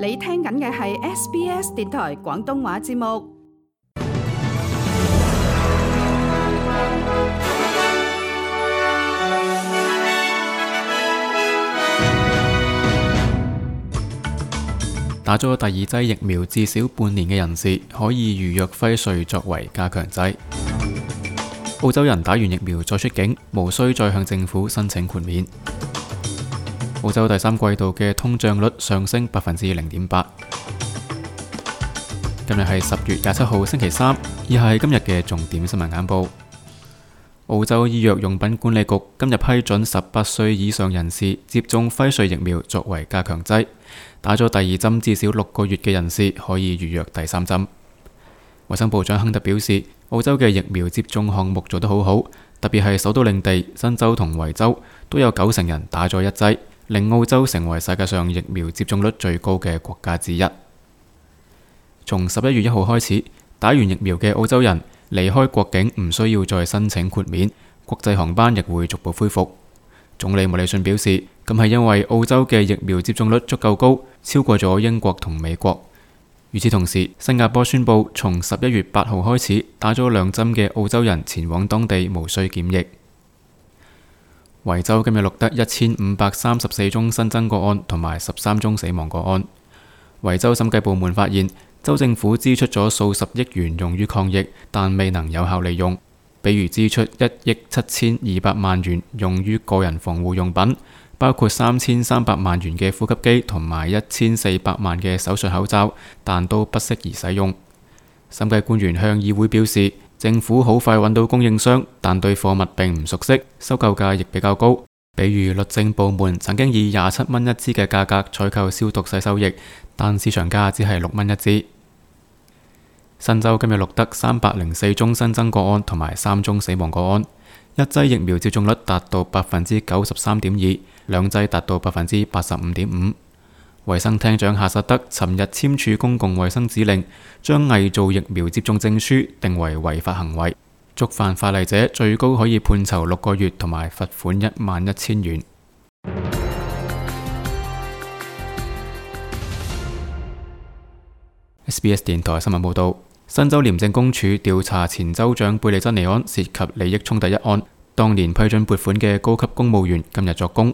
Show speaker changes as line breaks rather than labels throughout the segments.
你聽緊嘅係 SBS 電台廣東話節目。
打咗第二劑疫苗至少半年嘅人士可以預約輝瑞作為加強劑。澳洲人打完疫苗再出境，無需再向政府申請豁免。澳洲第三季度嘅通脹率上升0.8%。今日係10月27號星期三，以下係今日嘅重點新聞簡報。澳洲醫藥用品管理局今日批准18歲以上人士接種輝瑞疫苗作為加強劑，打咗第二針至少6個月嘅人士可以預約第三針。衛生部長亨特表示，澳洲嘅疫苗接種項目做得好好，特別係首都領地、新州同維州都有90%人打咗一劑，令澳洲成為世界上疫苗接種率最高嘅國家之一。從11月1號開始，打完疫苗嘅澳洲人離開國境唔需要再申請豁免，國際航班亦會逐步恢復。總理莫里遜表示，咁係因為澳洲嘅疫苗接種率足夠高，超過咗英國同美國。與此同時，新加坡宣布從11月8號開始，打咗2針嘅澳洲人前往當地無需檢疫。維州今日錄得1534宗新增個案同埋13宗死亡個案。維州審計部門發現，州政府支出咗數十億元用於抗疫，但未能有效利用。比如支出1億7200萬元用於個人防護用品，包括3300萬元嘅呼吸機同埋1400萬嘅手術口罩，但都不適宜使用。審計官員向議會表示，政府好快揾到供應商，但對貨物並唔熟悉，收購價亦比較高。比如律政部門曾經以27蚊一支嘅價格採購消毒洗手液，但市場價只係6蚊一支。新州今日錄得304宗新增個案同埋3宗死亡個案，一劑疫苗接種率達到93.2%，兩劑達到85.5%。衛生廳長夏薩德尋日簽署公共衛生指令，將偽造疫苗接種證書定為違法行為，觸犯法例者最高可以判囚6個月同埋罰款11000元。SBS 電台新聞報道。新州廉政公署調查前州長貝利珍尼安涉及利益衝突一案，當年批准撥款嘅高級公務員今日作供。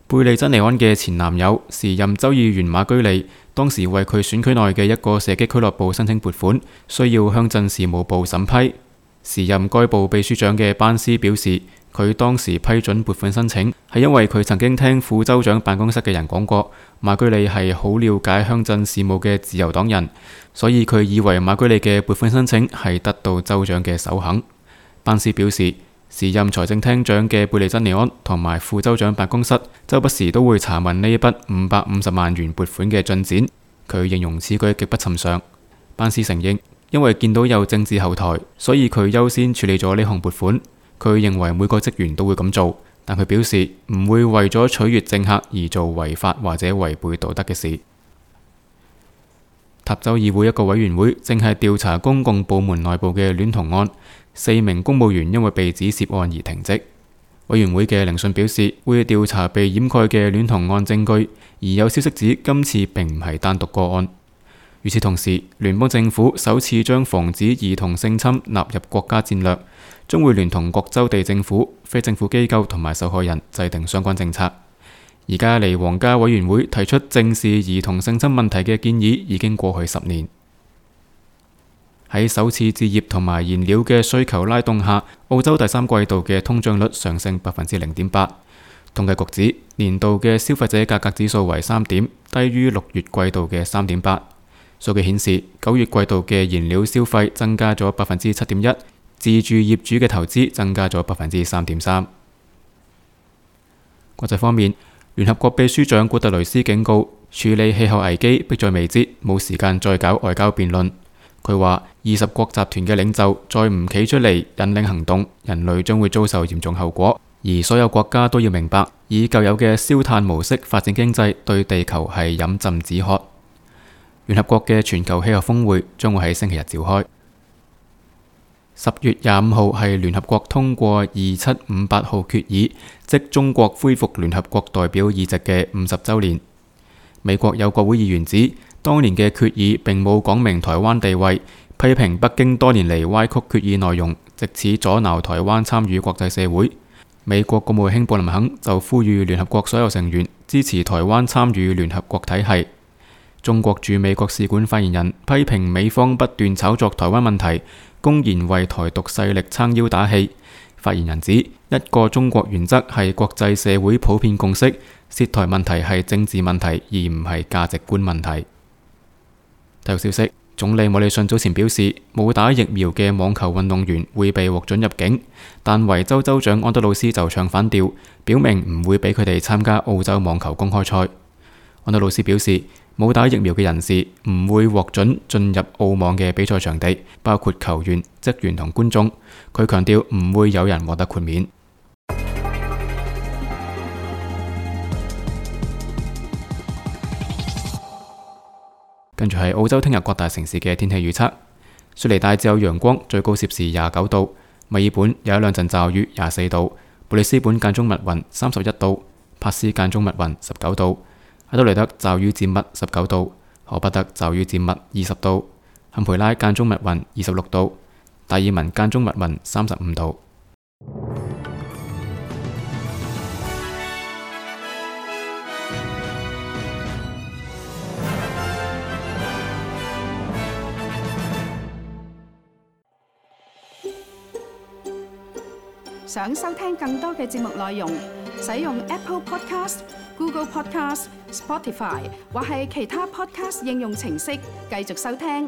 貝利珍尼安嘅前男友時任州議員馬居利，當時為佢選區內嘅一個射擊俱樂部申請撥款，需要鄉鎮事務部審批。時任該部秘書長嘅班斯表示，佢當時批准撥款申請係因為佢曾經聽副州長辦公室嘅人講過，馬居利係好了解鄉鎮事務嘅自由黨人，所以佢以為馬居利嘅撥款申請係得到州長嘅首肯。班斯表示，時任財政廳長嘅貝利珍尼安同埋副州長辦公室周不時都會查問呢一筆550萬元撥款嘅進展，佢形容此舉極不尋常。班斯承認，因為見到有政治後台，所以佢優先處理咗呢項撥款。佢認為每個職員都會咁做，但佢表示唔會為咗取悅政客而做違法或者違背道德嘅事。塔州議會一個委員會正係調查公共部門內部嘅戀童案，4名公務員因為被指涉案而停職。委員會嘅聆訊表示，會調查被掩蓋嘅戀童案證據，而有消息指今次並唔係單獨個案。與此同時，聯邦政府首次將防止兒童性侵納入國家戰略，將會聯同各州地政府、非政府機構同埋受害人制定相關政策。而家離皇家委員會提出正視兒童性侵問題嘅建議已經過去10年。喺首次置業同埋燃料嘅需求拉動下，澳洲第三季度嘅通脹率上升0.8%。統計局指年度嘅消費者價格指數為3點，低於6月季度嘅3.8。數據顯示，9月季度嘅燃料消費增加咗7.1%，自住業主嘅投資增加咗3.3%。國際方面，聯合國秘書長古特雷斯警告，處理氣候危機迫在眉睫，冇時間再搞外交辯論。佢話，20國集團嘅領袖再唔企出嚟引領行動，人類將會遭受嚴重後果。而所有國家都要明白，以舊有嘅燒炭模式發展經濟，對地球係飲鴆止渴。聯合國嘅全球氣候峰會將會喺星期日召開。10月25號係聯合國通過2758號決議，即中國恢復聯合國代表議席嘅50週年。美國有國會議員指，當年嘅決議並冇講明台灣地位，批評北京多年嚟歪曲決議內容，藉此阻撓台灣參與國際社會。美國國務卿布林肯就呼籲聯合國所有成員支持台灣參與聯合國體系。中國駐美國使館發言人批評美方不斷炒作台灣問題，公然為台獨勢力撐腰打氣。發言人指，一個中國原則係國際社會普遍共識，涉台問題係政治問題，而唔係價值觀問題。體育消息，總理莫里遜早前表示，冇打疫苗嘅網球運動員會被獲准入境，但維州州長安德魯斯就唱反調，表明唔會俾佢哋參加澳洲網球公開賽。安德魯斯表示，冇打疫苗嘅人士唔會獲准進入澳網嘅比賽場地，包括球員、職員同觀眾。佢強調唔會有人獲得豁免。跟住係澳洲聽日各大城市嘅天氣預測：雪梨大致有陽光，最高攝氏29度；墨爾本有一兩陣驟雨，24度；布里斯本間中密雲，31度；珀斯間中密雲，19度；阿德雷德驟雨漸密，19度；荷伯特驟雨漸密，20度；坎培拉間中密雲，26度；達爾文間中密雲，35度。
想收聽更多嘅節目內容，使用 Apple Podcast、Google Podcast、Spotify 或係其他 Podcast 應用程式繼續收聽。